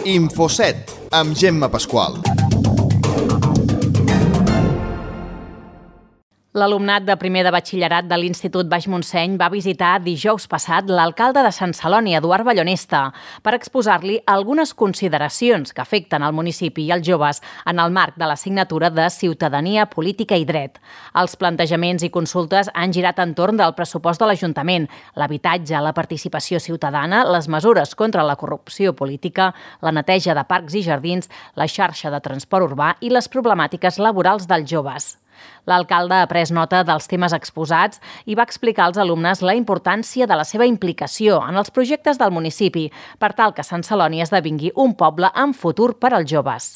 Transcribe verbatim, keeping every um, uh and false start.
Infoset, amb Gemma Pasqual. L'alumnat de primer de batxillerat de l'Institut Baix Montseny va visitar dijous passat l'alcalde de Sant Celoni, Eduard Ballonesta, per exposar-li algunes consideracions que afecten el municipi i els joves en el marc de l'assignatura de Ciutadania, Política i Dret. Els plantejaments i consultes han girat entorn del pressupost de l'Ajuntament, l'habitatge, la participació ciutadana, les mesures contra la corrupció política, la neteja de parcs i jardins, la xarxa de transport urbà i les problemàtiques laborals dels joves. L'alcalde ha pres nota dels temes exposats i va explicar als alumnes la importància de la seva implicació en els projectes del municipi per tal que Sant Celoni esdevingui un poble amb futur per als joves.